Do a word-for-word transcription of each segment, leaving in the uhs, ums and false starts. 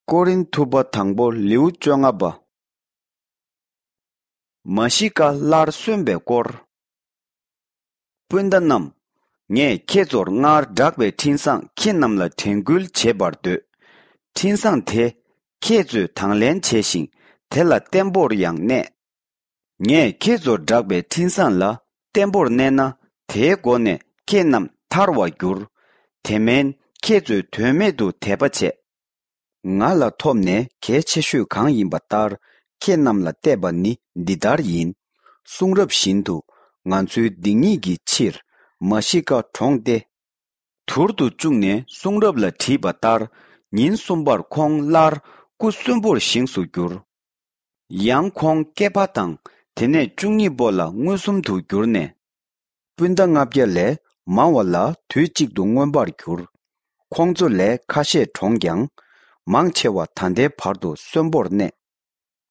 ཀོ་རིན་ཐུ་པ་དང་པོ་ལེའུ་བཅོ་ལྔ་པ། མ་ཤི་ཀ་སླར་གསོན་པའི་སྐོར། སྤུན་ཟླ་རྣམས། ངས་ཁྱེད་ཚོར་སྔར་བསྒྲགས་པའི་འཕྲིན་བཟང་ཁྱེད་རྣམས་ལ་དྲན་སྐུལ་བྱེད་པར་འདོད། འཕྲིན་བཟང་དེ། ཁྱེད་ཚོས་དང་ལེན་བྱས་ཤིང་དེ་ལ་བརྟན་པོར་ཡང་གནས། ངས་ཁྱེད་ཚོར་བསྒྲགས་པའི་འཕྲིན་བཟང་ལ་བརྟན་པོར་གནས་ན། དེའི་སྒོ་ནས་ཁྱེད་རྣམས་ཐར་བར་འགྱུར། དེ་མིན་ཁྱེད་ཚོས་དོན་མེད་དུ་དད་པ་བྱས། ང་ལ་ཐོབ་ནས་གལ་ཆེ་ཤོས་གང་ཡིན་པ་ལྟར་ཁྱེད་རྣམས་ལ་གཏད་པ་ནི་འདི་ལྟར་ཡིན། གསུང་རབ་བཞིན་དུ་ང་ཚོའི་སྡིག་ཉེས་ཀྱི་ཕྱིར་མ་ཤི་ཀ་གྲོངས་ཏེ། དུར་དུ་བཅུག་ནས་གསུང་རབ་ལ་བྲིས་པ་ལྟར་ཉིན་གསུམ་པར་ཁོང་སླར་སྐུ་གསོན་པོར་བཞེངས་སུ་གྱུར། ཡང་ཁོང་སྐེད་པ་དང་དེ་ནས་བཅུ་གཉིས་པོ་ལ་མངོན་སུམ་དུ་གྱུར་ནས། སྤུན་ཟླ་ལྔ་བརྒྱ་ལས་མང་བ་ལ་དུས་གཅིག་ཏུ་མངོན་པར་གྱུར། ཁོང་ཚོ་ལས་ཁ་ཤས་གྲོངས་ཀྱང་། མང་ཆེ་བ་ད་ལྟའི་བར་དུ་གསོན་པོར་གནས།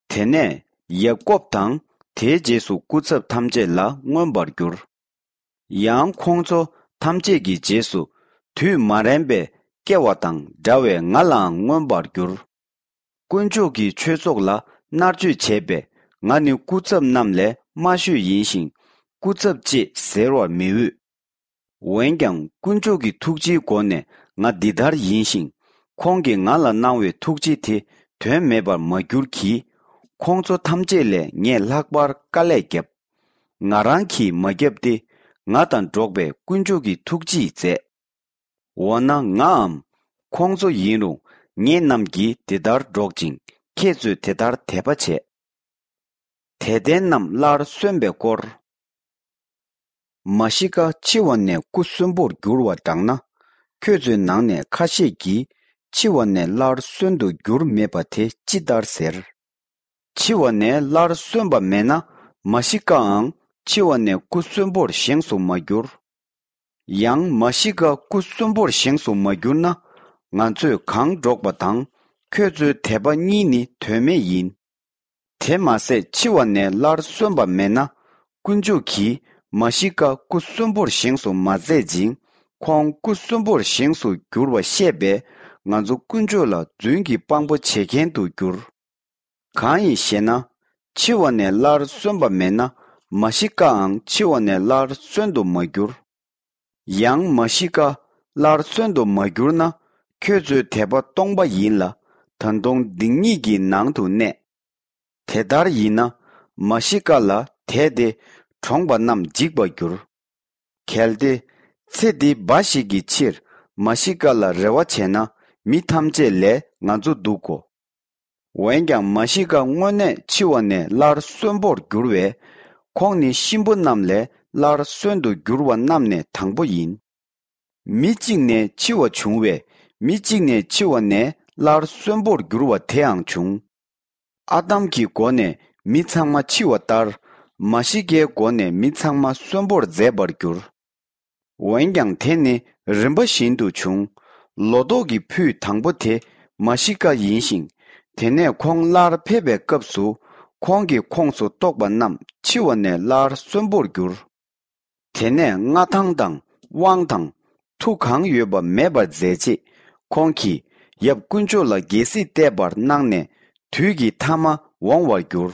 དེ་ནས་ཡ་ཀོབ་དང་དེའི་རྗེས་སུ་སྐུ་ཚབ་ཐམས་ཅད་ལ་མངོན་པར་གྱུར། ཡང་ཁོང་ཚོ་ཐམས་ཅད་ཀྱི་རྗེས་སུ་དུས་མ་རན་པའི་སྐྱེ་བ་དང་འདྲ་བའི་ང་ལའང་མངོན་པར་གྱུར། དཀོན་མཆོག་གི་ཆོས་ཚོགས་ལ་མནར་གཅོད་བྱས་པས་ང་ནི་སྐུ་ཚབ་རྣམས་ལས་དམའ་ཤོས་ཡིན་ཞིང་སྐུ་ཚབ་ཅེས་ཟེར་བར་མི་འོས། འོན་ཀྱང་དཀོན་མཆོག་གི་ཐུགས་རྗེའི་སྒོ་ནས་ང་འདི་ལྟར་ཡིན་ཞིང་། ཁོང་གིས་ང་ལ་གནང་བའི་ཐུགས་རྗེ་དེ་དོན་མེད་པར་མ་གྱུར་གྱིས། ཁོང་ཚོ་ཐམས་ཅད་ལས་ངས་ལྷག་པར་དཀའ་ལས་བརྒྱབ། ང་རང་གིས་མ་བརྒྱབ་སྟེ། ང་དང་འགྲོགས་པའི་དཀོན་མཆོག་གི་ཐུགས་རྗེས་མཛད། འོ་ན་ངའམ། ཁོང་ཚོ་ཡིན་རུང་ངེད་རྣམས་ཀྱིས་དེ་ལྟར་སྒྲོག་ཅིང་ཁྱེད་ཚོས་དེ་ལྟར་དད་པ་བྱས། དད་ལྡན་རྣམས་སླར་གསོན་པའི་སྐོར། མ་ཤི་ཀ་འཆི་བ་ནས་སྐུ་གསོན་པོར་འགྱུར་བ་འདྲ་ན། ཁྱོད་ཚོའི་ནང་ནས་ཁ་ཤས་ཀྱིས་འཆི་བ་ནས་སླར་གསོན་དུ་འགྱུར་མེད་པ་དེ་ཅི་ལྟར་ཟེར། འཆི་བ་ནས་སླར་གསོན་པ་མེད་ན། མ་ཤི་ཀའང་འཆི་བ་ནས་སྐུ་གསོན་པོར་བཞེངས་སུ་མ་གྱུར། ཡང་མ་ཤི་ཀ་སྐུ་གསོན་པོར་བཞེངས་སུ་མ་གྱུར་ན། ང་ཚོས་གང་སྒྲོག་པ་དང་ཁྱོད་ཚོའི་དད་པ་གཉིས་ནི་དོན་མེད་ཡིན། དེ་མ་ཟད་འཆི་བ་ནས་སླར་གསོན་པ་མེད་ན། དཀོན་མཆོག་གིས་མ་ཤི་ཀ་སྐུ་གསོན་པོར་བཞེངས་སུ་མ་མཛད་ཅིང་། ཁོང་སྐུ་གསོན་པོར་བཞེངས་སུ་གྱུར་བ་ཤེས་པས་ང་ཚོ་དཀོན་མཆོག་ལ་རྫུན་གྱི་དཔང་པོ་བྱེད་མཁན་དུ་གྱུར། གང་ཡིན་ཞེ་ན། འཆི་བ་ནས་སླར་གསོན་པ་མེད་ན། མ་ཤི་ཀའང་འཆི་བ་ནས་སླར་གསོན་དུ་མ་གྱུར། ཡང་མ་ཤི་ཀ་སླར་གསོན་དུ་མ་གྱུར་ན། ཁྱོད་ཚོའི་དད་པ་སྟོང་པ་ཡིན་ལ། ད་དུང་སྡིག་ཉེས་ཀྱི་ནང་དུ་གནས། དེ་ལྟར་ཡིན་ན། མ་ཤི་ཀ་ལ་དད་དེ་གྲོངས་པ་རྣམས་འཇིགས་པར་འགྱུར། གལ་ཏེ། ཚེ་འདི་འབའ་ཞིག་གི་ཕྱིར་མ་ཤི་ཀ་ལ་རེ་བ་བྱས་ན། མི་ཐམས་ཅད་ལས་ང་ཚོ་སྡུག་གོ། འོན་ཀྱང་མ་ཤི་ཀ་དངོས་གནས་འཆི་བ་ནས་སླར་གསོན་པོར་འགྱུར་བས། ཁོང་ནི་གཤིན་པོ་རྣམས་ལས་སླར་གསོན་དུ་འགྱུར་བ་རྣམས་ནས་དང་པོ་ཡིན། མི་གཅིག་ནས་འཆི་བ་བྱུང་བས། མི་གཅིག་ནས་འཆི་བ་ནས་སླར་གསོན་པོར་འགྱུར་བ་དེའང་བྱུང་། ཨ་དམ་གྱི་སྒོ་ནས་མི་ཚང་མ་འཆི་བ་ལྟར། མ་ཤི་ཀའི་སྒོ་ནས་མི་ཚང་མ་གསོན་པོར་མཛད་པར་འགྱུར། འོན་ཀྱང་དེ་ནི་རིམ་པ་བཞིན་དུ་བྱུང་། ལོ་ཏོག་གི་ཕུད་དང་པོ་དེ་མ་ཤི་ཀ་ཡིན་ཞིང་། དེ་ནས་ཁོང་སླར་ཕེབས་པའི་སྐབས་སུ། ཁོང་གི་ཁོངས་སུ་གཏོགས་པ་རྣམས་འཆི་བ་ནས་སླར་གསོན་པོར་འགྱུར། དེ་ནས་མངའ་ཐང་དང་དབང་དང་མཐུ་གང་ཡོད་པ་མེད་པར་མཛད་རྗེས། ཁོང་གིས་ཡབ་དཀོན་མཆོག་ལ་རྒྱལ་སྲིད་བརྟན་པར་གནང་ནས། དུས་ཀྱི་མཐའ་མ་འོང་བར་འགྱུར།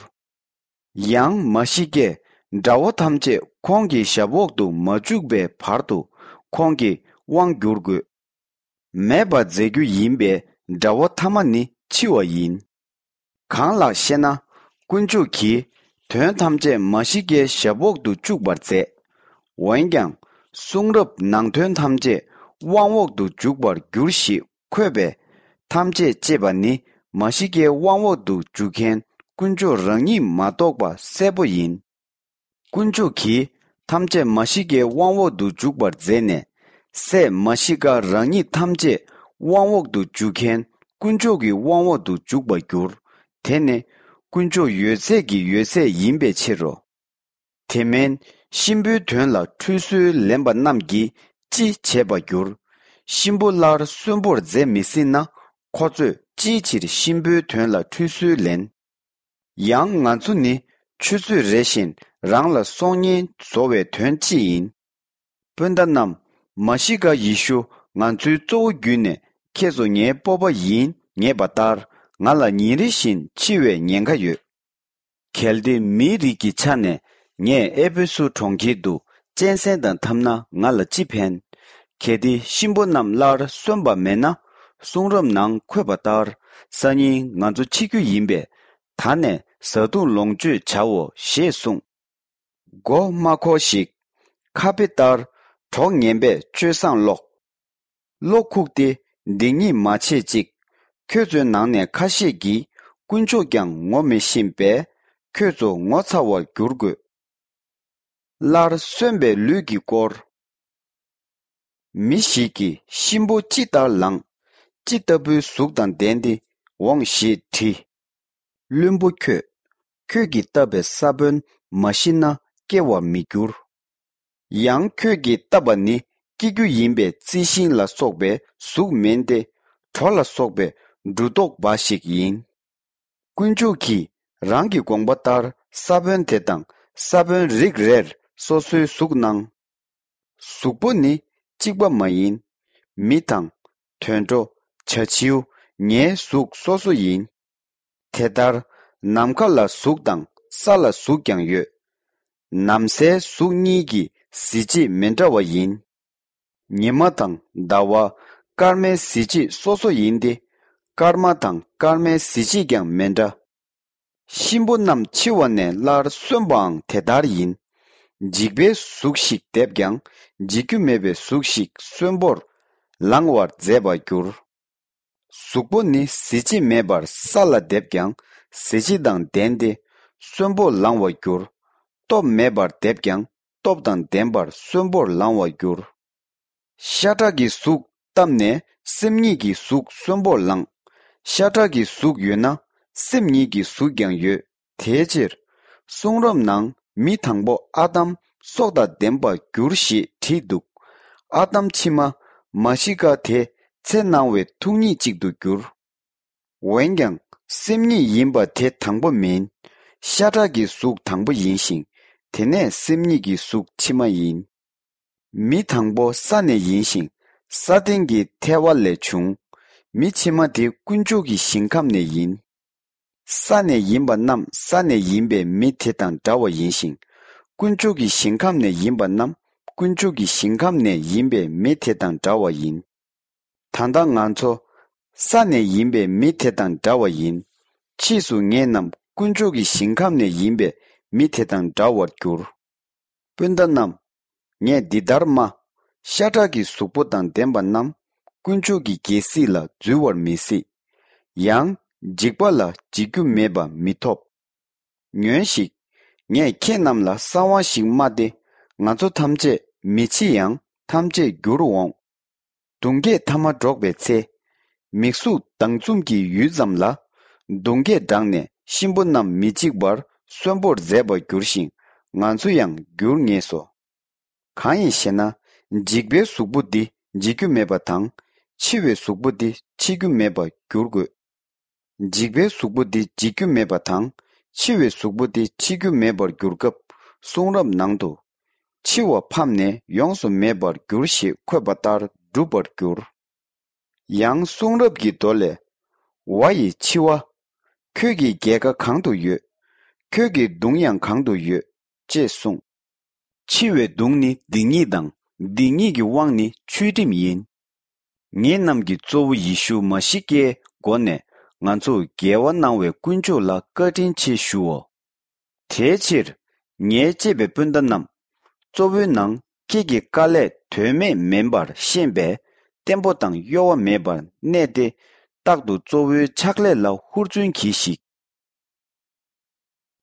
ཡང་མ་ཤི་ཀས་དགྲ་བོ་ཐམས་ཅད་ཁོང་གི་ཞབས་འོག་ཏུ་མ་བཅུག་པའི་བར་དུ་ཁོང་གིས་དབང་བསྒྱུར་དགོས། མེད་པར་མཛད་རྒྱུ་ཡིན་པས་དགྲ་བོ་ཐ་མ་ནི་འཆི་བ་ཡིན། གང་ལགས་ཤེ་ན། དཀོན་མཆོག་གིས་དོན་ཐམས་ཅད་མ་ཤི་ཀའི་ཞབས་འོག་ཏུ་བཅུག་པར་མཛད། འོན་ཀྱང་། གསུང་རབ་ནང་དོན་ཐམས་ཅད་དབང་འོག་ཏུ་འཇུག་པར་འགྱུར་ཞེས་འཁོད་པས། ཐམས་ཅད་ཅེས་པ་ནི་མ་ཤི་ཀའི་དབང་འོག་ཏུ་འཇུག་མཁན་དཀོན་མཆོག་རང་ཉིད་མ་གཏོགས་པ་གསལ་པོ་ཡིན། དཀོན་མཆོག་གིས་ཐམས་ཅད་མ་ཤི་ཀའི་དབང་འོག་ཏུ་འཇུག་པར་མཛད་ནས། སྲས་མ་ཤི་ཀ་རང་ཉིད་ཐམས་ཅད་དབང་འོག་ཏུ་འཇུག་མཁན་དཀོན་མཆོག་གི་དབང་འོག་ཏུ་འཇུག་པར་འགྱུར། དེ་ནི་དཀོན་མཆོག་ཡོད་ཚད་ཀྱི་ཡོད་ཚད་ཡིན་པའི་ཕྱིར་རོ། དེ་མིན་གཤིན་པོའི་དོན་ལ་ཁྲུས་གསོལ་ལེན་པ་རྣམས་ཀྱིས་ཅི་བྱེད་པར་འགྱུར། གཤིན་པོ་སླར་གསོན་པོར་མཛད་མི་སྲིད་ན། ཁོ་ཚོས་ཅིའི་ཕྱིར་གཤིན་པོའི་དོན་ལ་ཁྲུས་གསོལ་ལེན། ཡང་ང་ཚོ་ནི་ཆུ་ཚོད་རེ་བཞིན་རང་ལ་སྲོག་ཉེན་བཟོ་བའི་དོན་ཅི་ཡིན། སྤུན་ཟླ་རྣམས། མ་ཤི་ཀ་ཡེ་ཤུ་ང་ཚོའི་གཙོ་བོ་བརྒྱུད་ནས་ཁྱེད་ཚོ་ངའི་སྤོབས་པ་ཡིན་ངེས་པ་ལྟར། ང་ལ་ཉིན་རེ་བཞིན་འཆི་བའི་ཉེན་ཁ་ཡོད། གལ་ཏེ་མིའི་རིགས་ཀྱི་ཆ་ནས་ངས་ཨེ་ཕེ་སུ་གྲོང་ཁྱེར་དུ་གཅན་གཟན་དང་འཐམ་ན་ང་ལ་ཅི་ཕན། གལ་ཏེ་གཤིན་པོ་རྣམས་སླར་གསོན་པ་མེད་ན། གསུང་རབ་ནང་འཁོད་པ་ལྟར་སང་ཉིན་ང་ཚོ་འཆི་རྒྱུ་ཡིན་པས། ད་ནས་བཟའ་བཏུང་ལོངས་སྤྱོད་བྱའོ་ཞེས་གསུངས། མགོ་མ་འཁོར་ཞིག་ཁ་དཔེ་ལྟར་གྲོགས་ངན་པས་སྤྱོད་བཟང་ཀློག་གློ་ཁུག་སྟེ་སྡིག་ཉེས་མ་བྱེད་ཅིག་ཁྱོད་ཚོའི་ནང་ནས་ཁ་ཤས་ཀྱིས་དཀོན་མཆོག་ཀྱང་ངོ་མི་ཤེས་པས། ཁྱོད་ཚོ་ངོ་ཚ་བར་འགྱུར་དགོས། སླར་གསོན་པའི་ལུས་ཀྱི་སྐོར། མི་ཞིག་གིས་གཤིན་པོ་ཅི་ལྟར་ལངས། ཅི་ལྟ་བུའི་གཟུགས་དང་ལྡན་ཏེ་འོངས་ཞེས་དྲིས། བླུན་པོ་ཁྱོད། ཁྱོད་ཀྱིས་བཏབ་པའི་ས་བོན་མ་ཞིག་ན་སྐྱེ་བར་མི་འགྱུར། ཡང་ཁྱོད་ཀྱིས་བཏབ་པ་ནི་སྐྱེ་རྒྱུ་ཡིན་པའི་རྩི་ཤིང་ལ་སོགས་པའི་གཟུགས་མིན་ཏེ། གྲོ་ལ་སོགས་པའི་འབྲུ་རྡོག་འབའ་ཞིག་ཡིན། དཀོན་མཆོག་གིས་རང་གི་དགོངས་པ་ལྟར་ས་བོན་དེ་དང་ས་བོན་རིགས་རེར་སོ་སོའི་གཟུགས་གནང་། གཟུགས་པོ་ནི་གཅིག་པ་མ་ཡིན། མི་དང་། དུད་འགྲོ། བྱ་བྱིའུ། ཉའི་གཟུགས་སོ་སོ་ཡིན། དེ་ལྟར་ནམ་མཁའ་ལ་གཟུགས་དང་ས་ལ་གཟུགས་ཀྱང་ཡོད། ནམ་སའི་གཟུགས་གཉིས་ཀྱི་གཟི་བརྗིད་མི་འདྲ་བ་ཡིན། ཉི་མ་དང་ཟླ་བ། སྐར་མའི་གཟི་བརྗིད་སོ་སོ་ཡིན་ཏེ། སྐར་མ་དང་སྐར་མའི་གཟི་བརྗིད་ཀྱང་མི་འདྲ། གཤིན་པོ་རྣམས་འཆི་བ་ནས་སླར་གསོན་པའང་དེ་ལྟར་ཡིན། འཇིག་པའི་གཟུགས་ཤིག་འདེབས་ཀྱང་འཇིག་རྒྱུ་མེད་པའི་གཟུགས་ཤིག་གསོན་པོར་ལང་བར་མཛད་པར་འགྱུར། གཟུགས་པོ་ནི་གཟི་བརྗིད་མེད་པར་ས་ལ་འདེབས་ཀྱང་གཟི་བརྗིད་དང་ལྡན་ཏེ་གསོན་པོར་ལང་བར་འགྱུར། སྟོབས་མེད་པར་འདེབས་ཀྱང་སྟོབས་དང་ལྡན་པར་གསོན་པོར་ལང་བར་འགྱུར། ཤ་ཁྲག་གི་གཟུགས་བཏབ་ནས་སེམས་ཉིད་ཀྱི་གཟུགས་གསོན་པོར་ལངས། ཤ་ཁྲག་གི་གཟུགས་ཡོད་ན་སེམས་ཉིད་ཀྱི་གཟུགས་ཀྱང་ཡོད། དེའི་ཕྱིར། གསུང་རབ་ནང་མི་དང་པོ་ཨ་དམ་སྲོག་དང་ལྡན་པར་འགྱུར་ཞེས་བྲིས་འདུག་ཨ་དམ་ཕྱི་མ་མ་ཤི་ཀ་དེ་ཚེ་སྣང་བའི་ཐུགས་ཉིད་ཅིག་ཏུ་འགྱུར། འོན་ཀྱང་སེམས་ཉིད་ཡིན་པ་དེ་དང་པོ་མིན། ཤ་ཁྲག་གི་གཟུགས་དང་པོ་ཡིན་ཞིང་། དེ་ནས་སེམས་ཉིད་ཀྱི་གཟུགས་ཕྱི་མ་ཡིན། མི་དང་པོ་ས་ནས་ཡིན་ཞིང་། ས་སྟེང་གི་ཐལ་བ་ལས་བྱུང་། མི་ཕྱི་མ་དེ་དཀོན་མཆོག་གི་ཞིང་ཁམས་ནས་ཡིན། ས་ནས་ཡིན་པ་རྣམས་ས་ནས་ཡིན་པའི་མི་དེ་དང་འདྲ་བ་ཡིན་ཞིང་། དཀོན་མཆོག་གི་ཞིང་ཁམས་ནས་ཡིན་པ་རྣམས་དཀོན་མཆོག་གི་ཞིང་ཁམས་ནས་ཡིན་པའི་མི་དེ་དང་འདྲ་བ་ཡིན། ད་ལྟ་ང་ཚོ་ས་ནས་ཡིན་པའི་མི་དེ་དང་འདྲ་བ་ཡིན། ཕྱིས་སུ་ངེད་རྣམས་དཀོན་མཆོག་གི་ཞིང་ཁམས་ནས་ཡིན་པའི་མི་དེ་དང་འདྲ་བར་འགྱུར། སྤུན་ཟླ་རྣམས། ངས་འདི་ལྟར་སྨྲ། ཤ་ཁྲག་གི་གཟུགས་པོ་དང་ལྡན་པ་རྣམས་དཀོན་མཆོག་གི་རྒྱལ་སྲིད་ལ་འཛུལ་བར་མི་སྲིད། ཡང་འཇིག་པ་ལ་འཇིག་རྒྱུ་མེད་པ་མི་ཐོབ། ཉོན་ཞིག་ངས་ཁྱེད་རྣམས་ལ་གསང་བ་ཞིག་སྨྲ་སྟེ། ང་ཚོ་ཐམས་ཅད་མི་འཆི་ཡང་ཐམས་ཅད་འགྱུར་འོང་། གདུང་བརྒྱད་ཐ་མ་སྒྲོག་པའི་ཚེ། མིག་གཟུགས་ལྡང་འཛུམ་གྱི་ཡུད་ཙམ་ལ། གདུང་བརྒྱད་འགྲངས་ནས་གཤིན་པོ་རྣམས་མི་འཇིག་པར་གསོན་པོར་མཛད་པར་འགྱུར་ཞིང་ང་ཚོ་ཡང་འགྱུར་ངེས་སོ། གང་ཡིན་ཞེ་ན། འཇིག་པའི་གཟུགས་པོ་འདི་འཇིག་རྒྱུ་མེད་པ་དང་། འཆི་བའི་གཟུགས་པོ་འདི་འཆི་རྒྱུ་མེད་པར་འགྱུར་དགོས། འཇིག་པའི་གཟུགས་པོ་འདི་འཇིག་རྒྱུ་མེད་པ་དང་། འཆི་བའི་གཟུགས་པོ་འདི་འཆི་རྒྱུ་མེད་པར་འགྱུར་སྐབས། གསུང་རབ་ནང་དུ། འཆི་བ་ཕམ་ནས་ཡོངས་སུ་མེད་པར་འགྱུར་ཞེས་འཁོད་པ་ལྟར་འགྲུབ་པར་འགྱུར། ཡང་གསུང་རབ་ཀྱི་མདོ་ལས། ཝ་ཡི་འཆི་བ། ཁྱོད་ཀྱི་རྒྱལ་ཁ་གང་དུ་ཡོད། ཁྱོད་ཀྱི་གདུང་ཡང་གང་དུ་ཡོད། ཅེས་གསུངས། འཆི་བའི་གདུང་ནི་སྡིག་ཉེས་དང་། སྡིག་ཉེས་ཀྱི་དབང་ནི་ཆོས་ཁྲིམས་ཡིན། ངེད་རྣམས་ཀྱི་གཙོ་བོ་ཡེ་ཤུ་མ་ཤི་ཀའི་སྒོ་ནས་ང་ཚོར་རྒྱལ་བ་གནང་བའི་དཀོན་མཆོག་ལ་བཀའ་དྲིན་ཆེ་ཞུའོ། དེའི་ཕྱིར། ངའི་གཅེས་པའི་སྤུན་ཟླ་རྣམས། གཙོ་བོའི་ནང་ཁྱེད་ཀྱི་དཀའ་ལས་དོན་མེད་མིན་པར་ཤེས་པས། བརྟན་པོ་དང་གཡོ་བ་མེད་པར་གནས་ཏེ། རྟག་ཏུ་གཙོ་བོའི་ཕྱག་ལས་ལ་ཧུར་བརྩོན་གྱིས་ཤིག